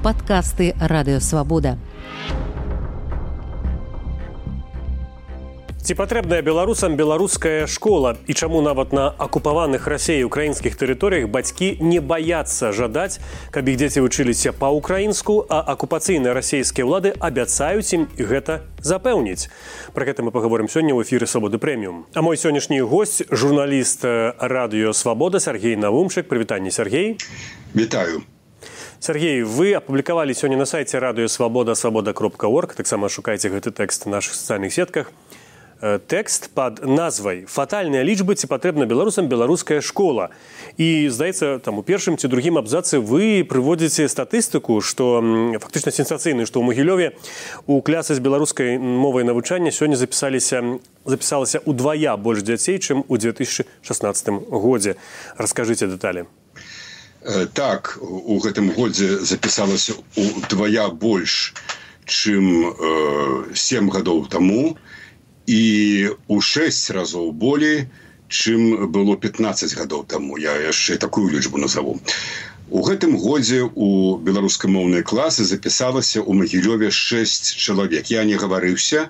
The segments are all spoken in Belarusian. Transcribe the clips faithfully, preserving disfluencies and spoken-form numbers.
Падкасты Радыё Свабода. Ці патрэбная беларусам беларуская школа і чаму нават на акупаваных Расіяй украінскіх тэрыторыях бацькі не баяцца жадаць, каб іх дзеці вучыліся па-украінску, а акупацыйныя расійскія ўлады абяцаюць ім гэта запэўніць. Пра гэта мы паговорым сёння ў эфіры Свабоды Прэміум. А мой сённяшні госць – журналіст Радыё Свабода Сергей Навумчык. Прывітанне, Сергей. Вітаю. Сергей, вы апублікавалі сёння на сайце Радыё Свабода свабода кропка орг, таксама шукайце гэты тэкст на нашых сацыяльных сетках. Тэкст пад назвай «Фатальныя лічбы, ці патрэбна беларусам беларуская школа». І, здаецца, там у першым ці другім абзацы вы прыводзіце статыстыку, што фактычна сенсацыйную, што ў Магілёве у клясы з беларускай мовай навучання сёння запісаліся, запісалася удвая больш дзяцей, чым у две тысячы шаснаццатым годзе. Раскажыце дэталі. Так, у гэтым годзе запісалася удвая больш, чым э, сем гадоў таму, і ў шэсць разоў болей, чым было пятнаццаць гадоў таму. Я яшчэ такую лічбу назову. У гэтым годзе у беларускамоўныя класы запісалася ў Магілёве шэсць чалавек. Я не гаварыўся.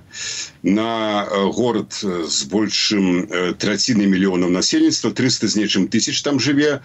На горад з большым траціны мільёнаў насельніцтва, трыста з нечым тысяч там жыве,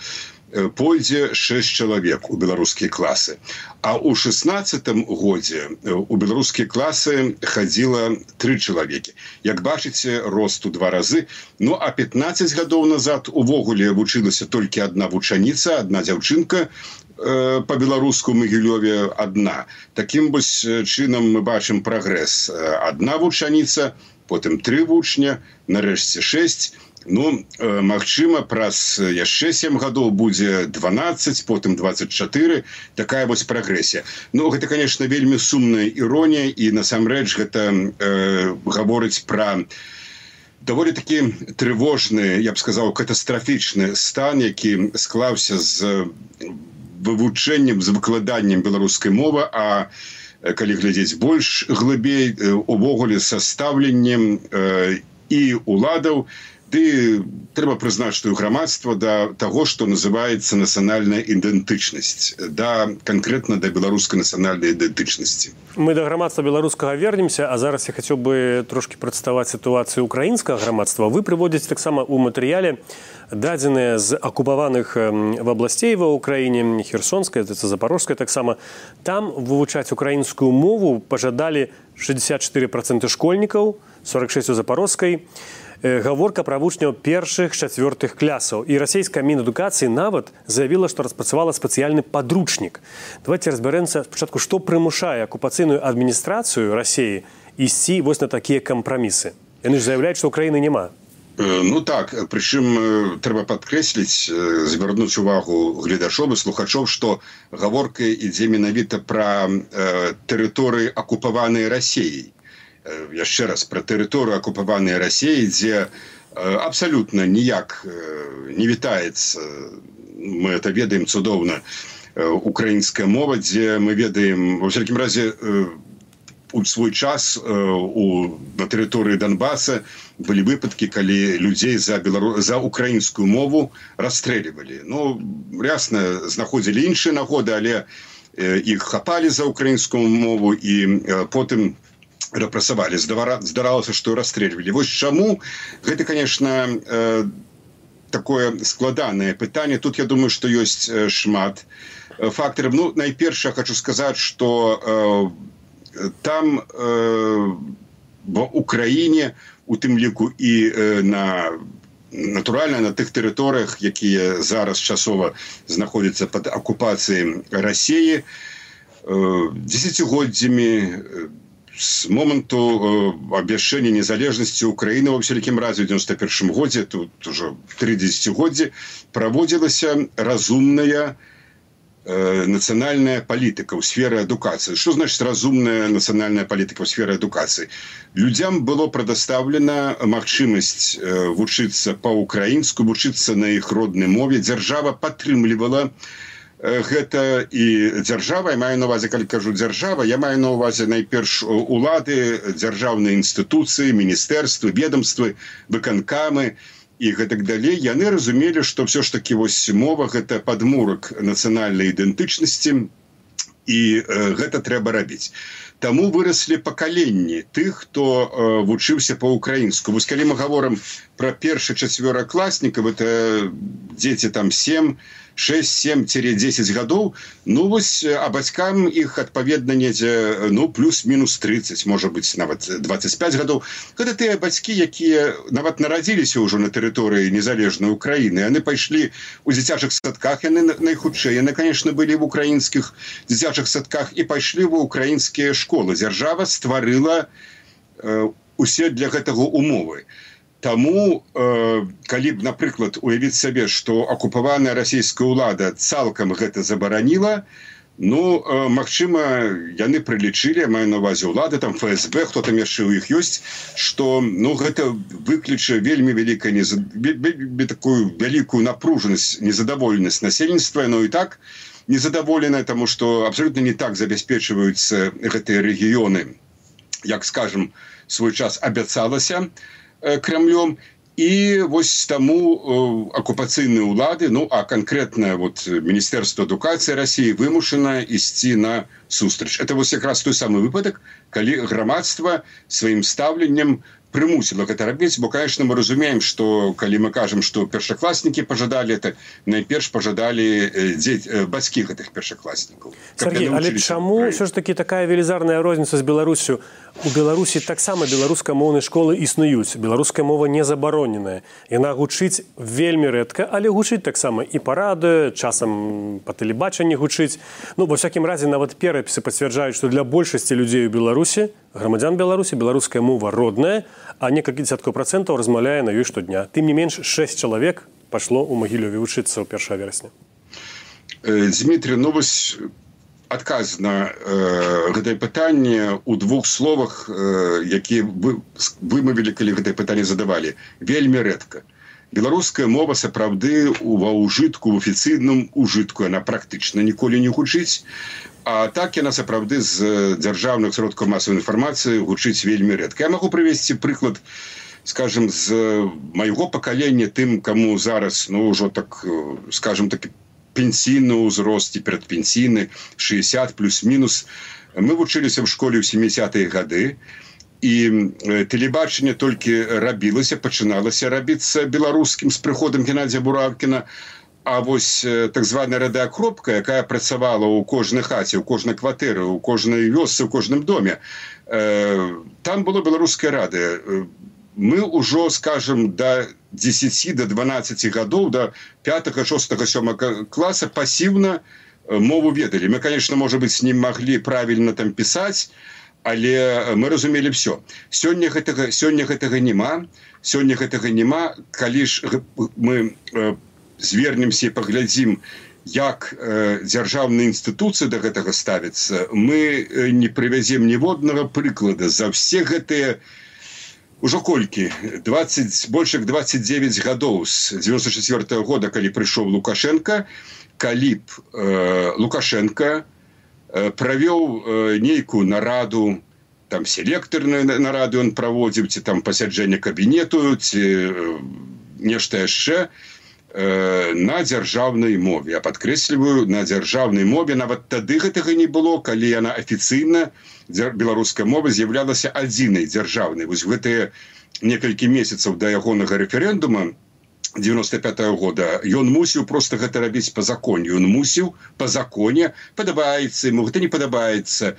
пойдзе шэсць чалавек у беларускія класы. А ў шаснаццатым годзе у беларускія класы хадзіла тры чалавекі. Як бачыце, рост у два разы. Ну, а пятнаццаць гадоў назад увогуле вучылася толькі адна вучаніца, адна дзяўчынка, па-беларуску ў Магілёве адна. Такім вось чынам мы бачым прагрэс. Адна вучаніца, потым тры вучня, нарэшце шэсць. Ну, магчыма, праз яшчэ сем гадоў будзе дванаццаць, потым дваццаць чатыры. Такая вось прагрэсія. Ну, гэта, конечно, вельмі сумная іронія, і насамрэч гэта э, гаворыць пра даволі такі трывожны, я б сказаў, катастрафічны стан, які склаўся з вывучэннем, з выкладаннем беларускай мовы, а калі глядзець больш глыбей, увогуле са стаўленнем э, і уладаў, ды трэба прызнаць, што і грамадства да таго, што называецца нацыянальная ідэнтычнасць, да канкрэтна да беларускай нацыянальнай ідэнтычнасці. Мы да грамадства беларускага вернемся, а зараз я хацеў бы трошкі прадставаць сітуацыю украінскага грамадства. Вы прыводзіце таксама ў матэрыяле дадзеныя з акупаваных абласцей ва ўкраіне, Херсонская, Запорожская таксама. Там вывучаць украінскую мову пажадалі шэсцьдзесят чатыры працэнты школьнікаў, сорок шэсць у Запорожскай. Гаворка пра вучняў першых, чацвёртых клясаў. І расійская Мінадукацыі нават заявіла, што распрацавала спецыяльны падручнік. Давайте разбярэмся спачатку, што прымушае акупацыйную адміністрацыю Расіі ісці вось на такія кампрамісы. Яны ж заяўляюць, што ўкраіны няма. Ну так, прычым трэба падкрэсліць, звярнуць увагу гледачоў і слухачоў, што гаворка ідзе менавіта пра э, тэрыторыі акупаванай Расіяй. Яшчэ раз, пра тэрыторыю акупаванай Расіі, дзе абсалютна ніяк не вітаецца, мы это ведаем цудоўна, украінская мова, дзе мы ведаем, ва ўсякім разе, у свой час у, на тэрыторыі Донбаса былі выпадкі, калі людзей за, белару... за украінскую мову расстрэльвалі. Ну, ясна, знаходзілі іншыя нагоды, але іх хапалі за украінскую мову і потым рэпрэсавалі. Здаралася, што расстрэльвалі. Вось чаму? Гэта, конечно, э, такое складанае пытанне. Тут, я думаю, што ёсць шмат фактараў. Ну, найперш, я хочу сказаць, што э, там э, в Украіне, у тым ліку і э, на натуральна на тых тэрыторыях, якія зараз часова знаходзяцца пад акупацыяй Расіі, э, дзесяцігоддзямі з моманту э, абвяшчэння незалежнасці Украіны ва ўсялякім разе ў дзевяносто першым годзе, тут ужо тры дзесяцігоддзі, праводзілася разумная э, нацыянальная палітыка ў сферы адукацыі. Што значыць разумная нацыянальная палітыка ў сферы адукацыі? Людзям было прадастаўлена магчымасць э, вучыцца па-украінску, вучыцца на іх роднай мове. Дзяржава падтрымлівала гэта і дзяржава, я маю на увазе, калі кажу дзяржава, я маю на увазе найперш улады, дзяржаўныя інстытуцыі, міністэрствы, ведомствы, выканкамы і гэтак далей. Яны разумелі, што ўсё ж такі вось мова гэта падмурак нацыянальнай ідэнтычнасці, і гэта трэба рабіць. Таму выраслі пакаленні тых, хто вучыўся па-ўкраінску. Вось калі мы гаворым пра першы-чацвёракласнікаў, это дзеці там сем, шэсць, сем, дзесяць гадоў, ну вось, а бацькам іх адпаведна недзе, ну, плюс-мінус трыццаць, можа быць, нават дваццаць пяць гадоў. Гэта тыя бацькі, якія нават нарадзіліся ўжо на тэрыторыі незалежнай Украіны. Яны пайшлі ў дзіцячых садках, яны найхутчэй, яны, конечно, былі в украінскіх дзіцячых садках і пайшлі ва украінскія школы. Дзяржава стварыла э, усе для гэтага умовы. Таму, э, калі б, напрыклад, уявіць сабе, што акупаваная расійская ўлада цалкам гэта забараніла, ну, э, магчыма, яны прылічылі, я маю на ўвазе ўлады, там эф эс бэ, хто там яшчэ ў іх ёсць, што, ну, гэта выкліча вельмі вялікая, незад... такую вялікую напружанасць, незадаволенасць насельніцтва, но і так незадаволеная, таму што абсолютна не так забяспечваюцца гэтыя рэгіёны, як, скажем, свой час абяцалася Кремлем. І вось таму акупацыйныя ўлады, ну, а канкрэтна вот Міністэрства адукацыі Расіі вымушана ісці на сустрэч. Это вось якраз той самы выпадак, калі грамадства сваім стаўленнем прымусіла гэта рабіць, бо, конечно, мы разумеем, што калі мы кажам, што першакласнікі пажадалі, это найперш пажадалі дзець, бацькі гэтых першакласнікаў. Сергей, але чаму ўсё ж такі такая велізарная розніца з Беларусю? У Беларусі таксама беларускамоўныя школы існуюць. Беларуская мова не забароненая. Яна гучыць вельмі рэдка, але гучыць таксама і па радыё, часам па тэлебачанні гучыць. Ну, ва всякім разе, нават перапісы пацвярджаюць, што для большасці людзей у Беларусі, грамадзян Беларусі, беларуская мова родная, а некалькі дзесяткаў працэнтаў размаўляе на ёй штодня. Тым не менш, шэсць чалавек пайшло ў Магілёве вучыцца ў першага верасня. Дмітрий, ну вось адказ на э, гэтае пытанне ў двух словах, э, якія вы вымавілі, калі гэтае пытанне задавалі. Вельмі рэдка. Беларуская мова сапраўды ва ўжытку, у афіцыйным ужытку, яна практычна ніколі не гучыць. А так яна сапраўды з дзяржаўных сродкаў масавай інфармацыі гучыць вельмі рэдка. Я магу прывесці прыклад, скажем, з майго пакалення, тым, каму зараз, ну, ўжо так, скажем, такі пенсійны ўзрост і перадпенсійны, шэсцьдзесят плюс-мінус. Мы вучыліся ў школе ў сямідзесятыя гады, і тэлебачанне толькі рабілася, пачыналася рабіцца беларускім з прыходам Геннадзія Буравкіна. А вось так званая радыакропка, якая працавала ў кожнай хаце, ў кожнай кватэры, ў кожнай вёсцы, ў кожным доме, там было беларускае радыё. Мы ўжо, скажем, да дзесяці, да дванаццаці гадоў, да пятага, шостага, сёмага класа пасіўна мову ведалі. Мы, конечно, можа быць, не маглі правільна там пісаць, але мы разумелі ўсё. Сёння гэтага, сёння гэтага няма, сёння гэтага няма, калі ж мы звернемся і паглядзім, як э, дзяржаўныя інстытуцыі да гэтага ставяцца, мы не прывязем ніводнага прыклада за ўсе гэтыя ужо колькі, двадцать, больш як двадцать девять гадоў з девяносто четвёртого года, калі прыйшоў Лукашенко, калі б э, Лукашенко э, правёў э, нейкую нараду, там селектарную нараду ён праводзіў, ці там пасяджэнне кабінету, ці э, нешта яшчэ, на дзяржаўнай мове. Я падкрэсліваю, на дзяржаўнай мове. Нават тады гэтага не было, калі яна афіцыйна, беларуская мова, з'яўлялася адзінай дзяржаўнай. Вось гэтыя некалькі месяцаў да ягонага рэферэндума девяносто пятого года ён мусіў проста гэта рабіць па законе. Ён мусіў па законе, падабаецца яму, гэта не падабаецца,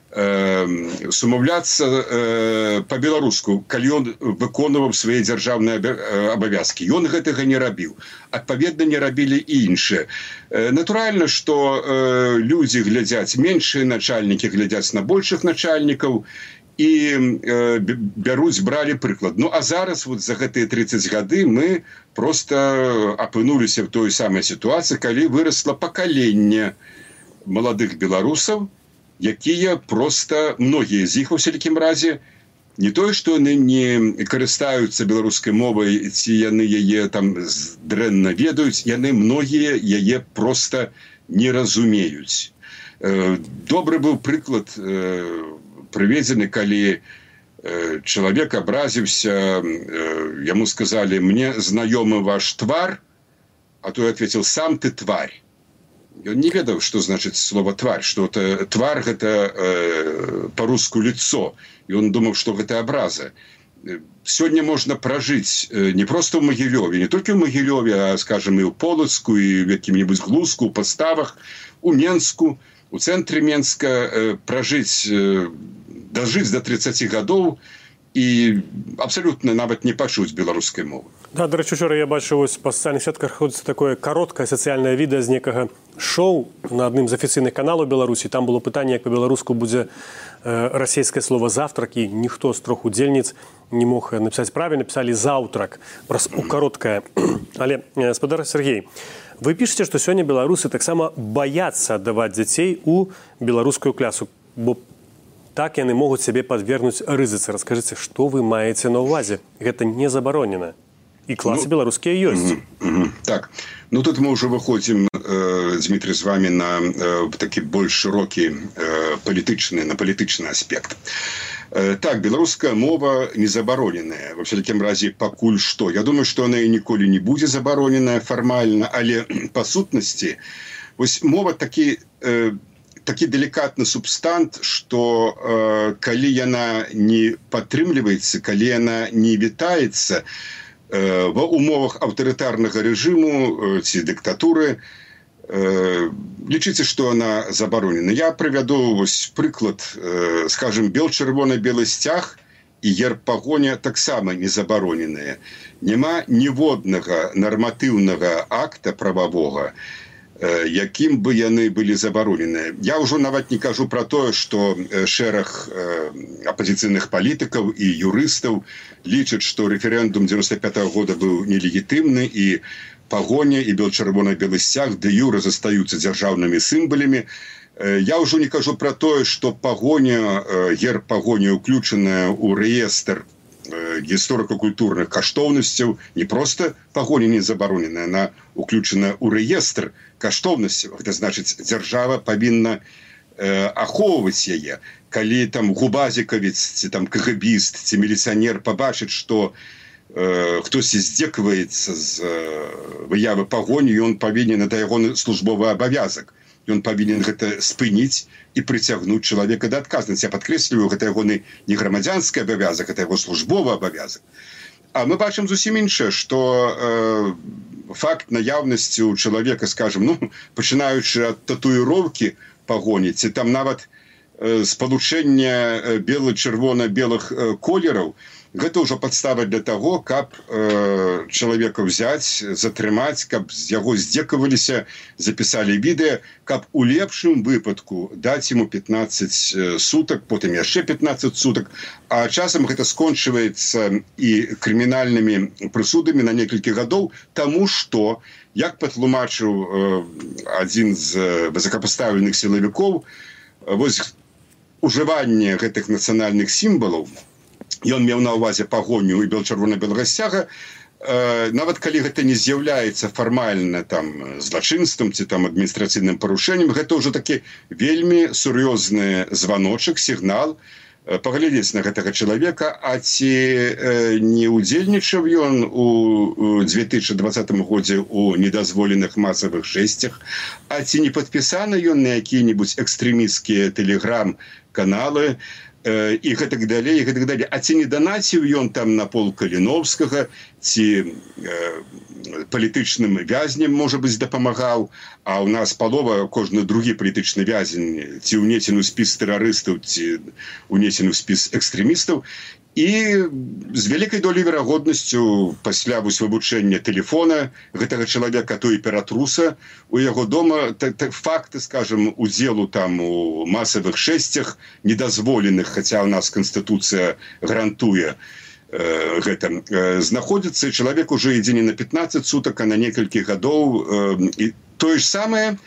э, сумаўляцца э, па-беларуску, калі ён выконваў свае дзяржаўныя абавязкі. Ён гэтага не рабіў. Адпаведна, не рабілі і іншыя. Э, натуральна, што э, людзі глядзяць, меншыя начальнікі глядзяць на большых начальнікаў і э, бяруць, бралі прыклад. Ну, а зараз вот за гэтыя тридцать гады мы проста апынуліся в той самай сітуацыі, калі вырасла пакаленне маладых беларусаў, якія проста, многія з іх, у всякім разе, не тое, што яны не карыстаюцца беларускай мовай, ці яны яе там дрэнна ведаюць, яны многія яе проста не разумеюць. Добры быў прыклад прыведзены, калі чалавек абразіўся, яму сказалі: «Мне знаёмы ваш твар», а той ответил: «Сам ты тварь». ён не ведаў, што значыць слова тварь, што это твар гэта э, па-руску лицо, і ён думаў, што гэта абраза. Сёння можна пражыць не проста ў Магілёве, не толькі ў Магілёве, а, скажем, і ў Полацку, і в якім-небудзь Глузку, у Паставах, у Менску, у цэнтры Менска, пражыць, дажыць до тридцати гадоў і абсалютна нават не пачуць беларускай мовы. Да, до речі, вчора я бачив, ось по соціальних сетках ходиться таке коротке соціальне відео з некого шоу на одним з офіційних каналів Білорусі. Там було питання, як по-білоруську буде е, російське слово «завтрак», і ніхто з трьох удільниць не мог написати правильно, написали «заутрак», просто коротке. Але, господар Сергій, ви пишете, що сьогодні білоруси так само бояться давати дітей у білоруську класу, бо так яны могуць сябе падвергнуць рызыцы. Раскажыце, што вы маеце на ўвазе? Гэта не забаронена. І класы ну, беларускія ёсць. Угу, угу. Так. Ну, тут мы ўжо выходзім, э, Дмітрий, з вами на э, такі больш шырокі э, палітычны, на палітычны аспект. Э, так, беларуская мова не забароненая. Во всякім разе, пакуль што. Я думаю, што яна і ніколі не будзе забароненая фармальна, але па сутнасці, вось мова такі... Э, такі делікатны субстант, што э, калі яна не падтрымліваецца, калі яна не вітаецца э, ва умовах аўтарытарнага рэжыму э, ці дыктатуры, э, лічыце, што яна забаронена. Я прывяду вось прыклад, э, скажем, бел-чырвона-белы сцяг і герб пагоня таксама не забароненыя. Няма ніводнага нарматыўнага акта прававога, якім бы яны былі забароненыя. Я ўжо нават не кажу пра тое, што шэраг апазіцыйных палітыкаў і юрыстаў лічаць, што рэферэндум дзевяносто пятого года быў нелегітымны і пагоня і бел-чырвона-белы сцяг дэ юрэ застаюцца дзяржаўнымі сімвалямі. Я ўжо не кажу пра тое, што пагоня, герб пагоня ўключаная ў рэестр гісторыка-культурных каштоўнасцяў, не проста пагоня не забароненая, яна ўключана ў рэестр каштоўнасцяў. Гэта значыць, дзяржава павінна э, ахоўваць яе. Калі там губазікавец, ці там кагабіст, ці міліцыянер пабачыць, што э, хтосьці здзекваецца з э, выявы пагоні, ён павінен, это ягоны службовы абавязак. Ён павінен гэта спыніць і прыцягнуць чалавека да адказнасці. Я падкрэсліваю, гэта ягоны не грамадзянскі абавязак, гэта яго службовы абавязак. А мы бачым зусім іншае, што э, факт наяўнасці у чалавека, скажем, ну, пачынаючы ад татуіроўкі пагоні, ці там нават э, спалучэння бела-чырвона-белых э, колераў, гэта ўжо падстава для таго, каб э, чалавека взяць, затрымаць, каб з яго здзекаваліся, запісалі відэа, каб у лепшым выпадку даць яму пятнадцать сутак, потым яшчэ пятнадцать сутак, а часам гэта скончваецца і крымінальнымі прысудамі на некалькі гадоў, таму што, як патлумачыў э, адзін з высокапастаўленых сілавікоў, вось ужыванне гэтых нацыянальных сімвалаў, ён меў на ўвазе пагоню і бел-чырвона-белага сцяга, э, нават калі гэта не з'яўляецца фармальна там злачынствам ці там адміністрацыйным парушэннем, гэта ўжо такі вельмі сур'ёзны званочак, сігнал, э, паглядзець на гэтага чалавека, а ці э, не ўдзельнічаў ён у, у две тысячи двадцатым годзе у недазволеных масавых жэсцях, а ці не падпісаны ён на якія-небудзь экстрэмісцкія тэлеграм-каналы, і гэтак далей, і гэтак далей. А ці не данаціў ён там на пол Каліновскага, ці э, палітычным вязням, можа быць, дапамагаў, а ў нас палова, кожны другі палітычны вязень, ці ўнесены ў спіс тэрарыстаў, ці ўнесены ў спіс экстрэмістаў. І з вялікай долей верагоднасцю пасля вывучэння тэлефона гэтага чалавека, то і ператруса у яго дома, факты, скажем, удзелу там у масавых шэсцях недазволеных, хаця ў нас Канстытуцыя гарантуе э, гэта, э, знаходзіцца, і чалавек уже ідзе не на пятнадцать сутак, а на некалькі гадоў. Э, і тое ж самае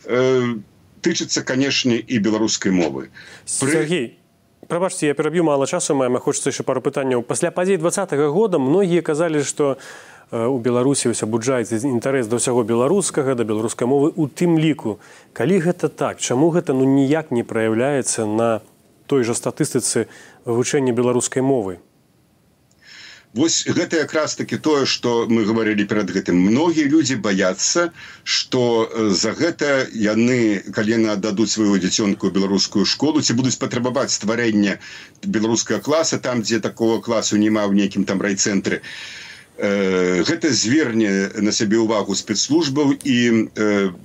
э, тычыцца, канешне, і беларускай мовы. Сергей, прабачце, я пераб'ю, мала часу маем, а хочацца яшчэ пару пытанняў. Пасля падзей двадцатага года многія казалі, што у Беларусі вось абуджаецца інтарэс да ўсяго беларускага, да беларускай мовы, у тым ліку. Калі гэта так, чаму гэта ну ніяк не праяўляецца на той жа статыстыцы вывучэння беларускай мовы? Вось гэта якраз таки тое, што мы гаварылі перад гэтым. Многія людзі баяцца, што за гэта яны, калі яны аддадуць сваю дзіцёнку ў беларускую школу, ці будуць патрабаваць стварэння беларускага класа, там, дзе такого класу няма ў нейкім там райцэнтры. Гэта зверне на сябе ўвагу спецслужбаў, і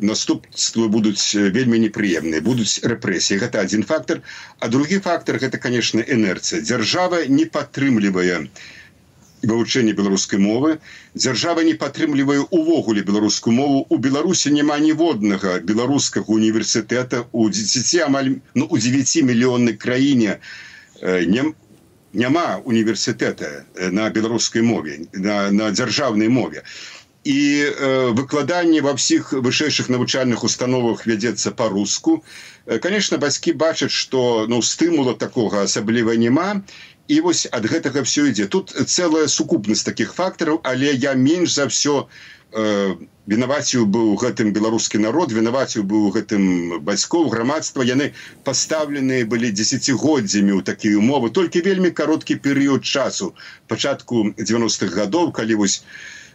наступствы будуць вельмі непрыемныя, будуць рэпрэсіі. Гэта адзін фактар. А другі фактар – гэта, конечно, інерцыя. Дзяржава не падтрымлівае вывучэнне беларускай мовы. Дзяржава не падтрымлівае увогуле беларускую мову. У Беларусі няма ніводнага беларускага універсітэта. У дзесяці, амаль, ну, у дзевяцімільённай краіне не, няма універсітэта на беларускай мове, на, на дзяржаўнай мове. І э, выкладанне ва ўсіх вышэйшых навучальных установах вядзецца па-руску. Конечно, бацькі бачаць, што ну, стымула такога асабліва няма. І вось ад гэтага все ідзе. Тут цэлая сукупнасць такіх фактараў, але я менш за ўсё э, вінаваціў быў гэтым беларускі народ, вінаваціў быў гэтым бацькоў, грамадства. Яны пастаўленыя былі дзесяцігоддзямі ў такія умовы. Толькі вельмі кароткі перыяд часу, пачатку дзевяностых гадоў, калі вось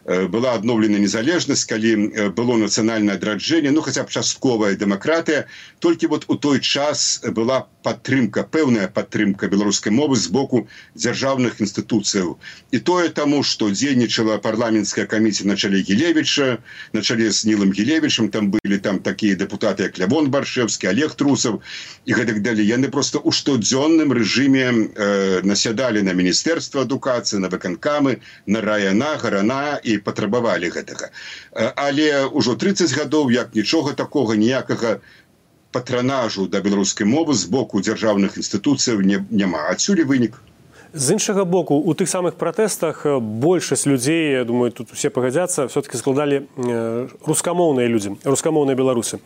была адноўлена незалежнасць, калі было нацыянальнае адраджэнне, ну хаця б частковая дэмакратыя, толькі вот у той час была падтрымка, пэўная падтрымка беларускай мовы з боку дзяржаўных інстытуцыяў. І тое таму, што дзейнічала парламенцкая камісія на чале Гілевіча, на чале з Нілам Гілевічам, там былі там такія дэпутаты, як Лявон Баршэвскі, Олег Трусаў і гэтак далей. Яны проста ў штодзённым рэжыме э, насядалі на міністэрства адукацыі, на выканкамы, на райана, гарана і патрабавалі гэтага. Але ўжо трыццаць гадоў, як нічога такога, ніякага патранажу да беларускай мовы з боку дзяржаўных інстытуцыяў не, няма. Адсюль вынік. З іншага боку, у тых самых пратэстах большасць людзей, я думаю, тут усе пагадзяцца, все-таки складалі рускамоўныя людзі, рускамоўныя беларусы.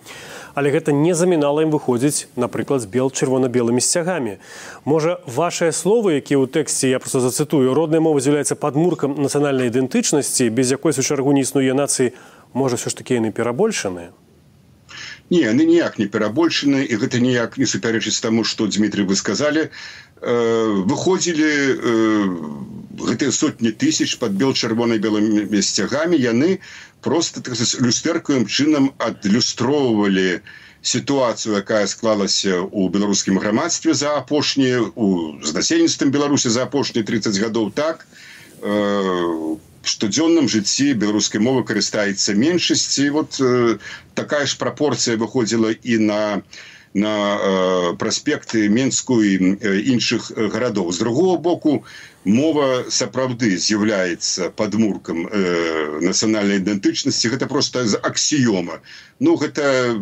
Але гэта не замінала ім выходзіць, напрыклад, з бел-чырвона-белымі сцягамі. Можа, вашыя словы, якія ў тэксце, я просто зацытую, родная мова з'яўляецца падмуркам нацыянальнай ідэнтычнасці, без якой у шэрагу не існуе нацыі, можа, все ж такі яны перабольшаныя? Не, яны ніяк не перабольшаны, і гэта ніяк не супярэчыць таму, што, Дмітрий, вы сказалі. Выходзілі гэтыя сотні тысяч пад бел-чырвона-белымі сцягамі, яны просто, так сказать, люстэркавым чынам адлюстроўвалі сітуацыю, якая склалася ў беларускім грамадстве за апошнія, у з насельніцтвам Беларусі за апошнія трыццаць гадоў, так, штодзённым жыцці беларускай мовы карыстаецца меншасць, і вот э, такая ж прапорцыя выходзіла і на, на э, праспекты Менску і э, іншых гарадоў. З другого боку, мова сапраўды з'яўляецца падмуркам э, нацыянальнай ідэнтычнасці. Гэта проста аксіёма. Ну, гэта...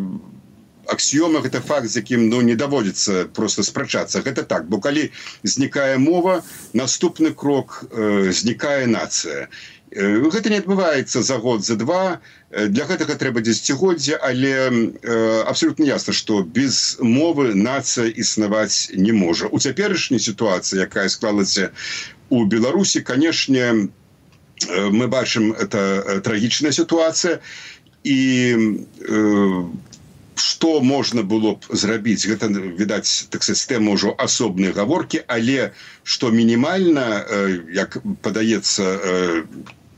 Аксіёма – гэта факт, з якім ну, не даводзіцца проста спрачацца. Гэта так, бо калі знікае мова, наступны крок э, знікае нацыя. Э, гэта не адбываецца за год, за два. Для гэтага трэба дзесяцігоддзя, але э, абсалютна ясна, што без мовы нацыя існаваць не можа. У цяперашняй сітуацыі, якая склалася у Беларусі, канешне, э, мы бачым, это трагічная сітуацыя, і э, што можна было б зрабіць, гэта, відаць, так сказать, тэма ўжо асобнай гаворкі, але што мінімальна, як падаецца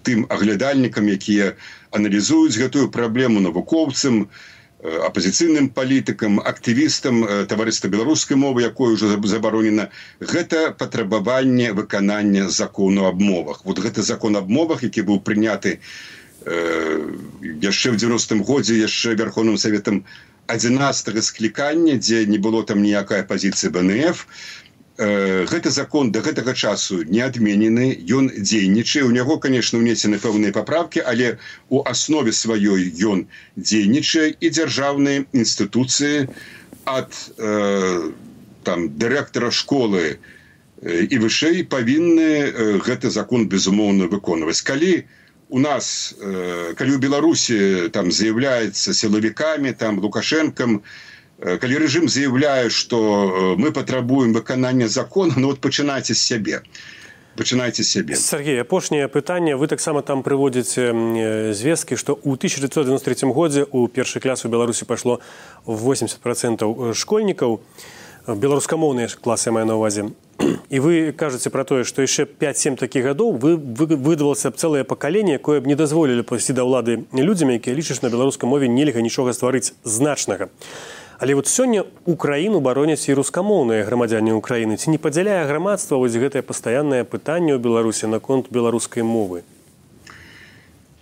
тым аглядальнікам, якія аналізуюць гэтую праблему, навукоўцам, апазіцыйным палітыкам, актывістам таварыства беларускай мовы, якое ўжо забаронена, гэта патрабаванне выканання закону аб мовах. Вот гэты закон аб мовах, які быў прыняты яшчэ ў дзевяностым годзе, яшчэ Верховным Саветам адзінаццатага склікання, дзе не было там ніякай апазіцыі бэ эн эф. Гэты закон да гэтага часу не адменены, ён дзейнічае. У няго, конечно, унесены пэўныя паправкі, але у аснове сваёй ён дзейнічае, і дзяржаўныя інстытуцыі ад э, там, дырэктара школы і вышэй павінны гэты закон, безумоўна, выконваць. Калі у нас, калі ў Беларусі там з'яўляецца сілавікамі, там Лукашэнкам, калі рэжым заяўляе, што мы патрабуем выканання закона, ну вот пачынайце з сябе. Пачынайце з сябе. Сергей, апошняе пытанне. Вы таксама там прыводзіце звесткі, што ў тысяча дзевяцьсот дзевяносто третьем годзе ў першы клас у Беларусі пайшло восемьдесят процентов школьнікаў, беларускамоўныя класы, я маю на ўвазе. і вы кажаце пра тое, што яшчэ пяць-сем такіх гадоў вы, вы выдавалася б цэлае пакаленне, якое б не дазволілі прыйсці да ўлады людзям, якія лічаць, на беларускай мове нельга нічога стварыць значнага. Але вот сёння Украіну бароняць і рускамоўныя грамадзяне Украіны. Ці не падзяляе грамадства вось гэтае пастаяннае пытанне ў Беларусі наконт беларускай мовы?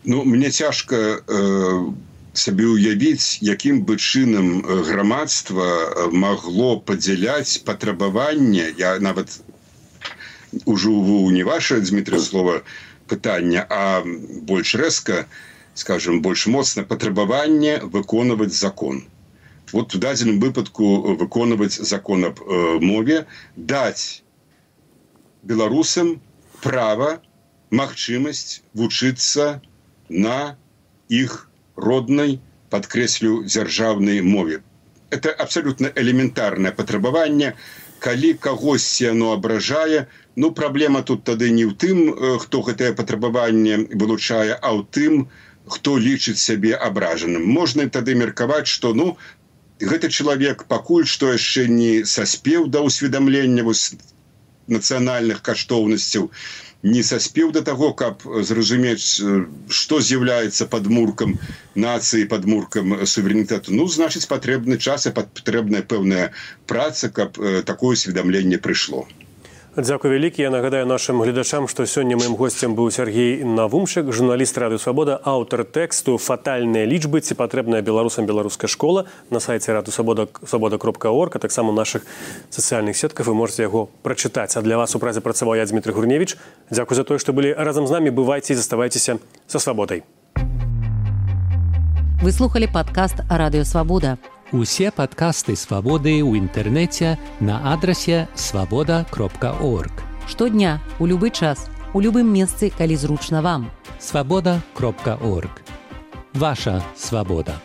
Ну, мне цяжка э, сабе ўявіць, якім бы чынам грамадства магло падзяляць патрабаванне, я нават ужыву не ваше, Дмітрый, слова пытання, а больш рэзка, скажем, больш моцна патрабаванне выконваць закон. Вот в дадзеным выпадку выконваць закон аб э, мове, даць беларусам права, магчымасць вучыцца на іх роднай, падкрэслю, дзяржаўнай мове. Это абсолютно элементарнае патрабаванне. Калі кагосьці яно абражае, ну, праблема тут тады не ў тым, хто гэтае патрабаванне вылучае, а ў тым, хто лічыць сябе абражаным. Можна тады меркаваць, што, ну, гэты чалавек пакуль што яшчэ не саспеў да ўсведамлення вось нацыянальных каштоўнасцяў, не саспеў да таго, каб зразумець, што з'яўляецца падмуркам нацыі, падмуркам суверэнітэту. Ну, значыць, патрэбны час і патрэбная пэўная праца, каб такое усведамленне прыйшло. Дзякуй вялікі. Я нагадаю нашим гледачам, што сёння маім госцем быў Сергей Навумшык, журналіст Радыё Свабода, аўтар тэксту «Фатальныя лічбы. Ці патрэбная беларусам беларуская школа» на сайце радыё свабода кропка орг, а таксама ў нашых сацыяльных сетках вы можете яго прачытаць. А для вас у празе працаваў я, Дмітрый Гурневіч. Дзякуй за тое, што былі разам з намі. Бывайце і заставайцеся са свабодай. Вы слухали падкаст «Радыё Свабода». Усе падкасты «Свабоды» ў інтэрнэце на адрасе свабода кропка орг. Штодня, у любы час, у любым месцы, калі зручна вам. свабода кропка орг. Ваша свабода.